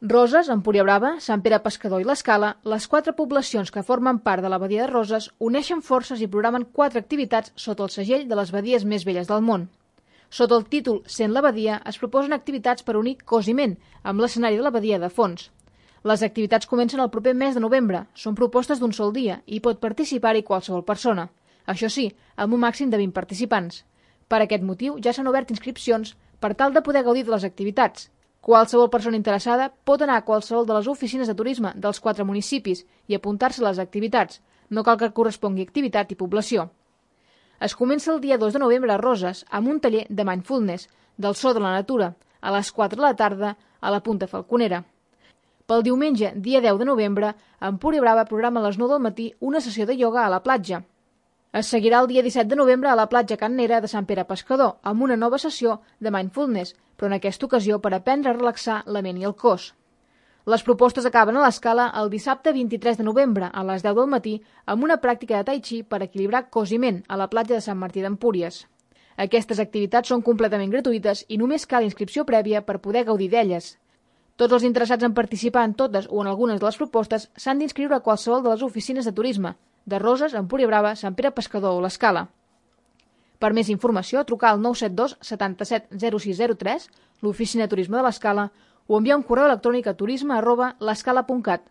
Roses, Empúria Brava, Sant Pere Pescador i l'Escala, les 4 poblacions que formen part de la badia de Roses, uneixen forces i programen 4 activitats sota el segell de les badies més velles del món. Sota el títol Sent la badia es proposen activitats per unir cos i ment amb l'escenari de la badia de fons. Les activitats comencen el proper mes de novembre, són propostes d'un sol dia i pot participar-hi qualsevol persona. Això sí, amb un màxim de 20 participants. Per aquest motiu ja s'han obert inscripcions per tal de poder gaudir de les activitats. Qualsevol persona interessada pot anar a qualsevol de les oficines de turisme dels 4 municipis i apuntar-se a les activitats. No cal que correspongui activitat i població. Es comença el dia 2 de novembre a Roses amb un taller de mindfulness, del so de la natura, a les 4 de la tarda a la Punta Falconera. Pel diumenge, dia 10 de novembre, Empúria Brava programa a les 9 del matí una sessió de ioga a la platja. Es seguirà el dia 17 de novembre a la platja Can Nera de Sant Pere Pescador amb una nova sessió de mindfulness, però en aquesta ocasió per aprendre a relaxar la ment i el cos. Les propostes acaben a l'Escala el dissabte 23 de novembre a les 10 del matí amb una pràctica de tai chi per equilibrar cos i ment a la platja de Sant Martí d'Empúries. Aquestes activitats són completament gratuïtes i només cal inscripció prèvia per poder gaudir d'elles. Tots els interessats en participar en totes o en algunes de les propostes s'han d'inscriure a qualsevol de les oficines de turisme, de Roses, Empúria Brava, Sant Pere Pescador o l'Escala. Per més informació, trucar al 972 77 0603, l'oficina de turisme de l'Escala, o enviar un correu electrònic a turisme@l'escala.cat.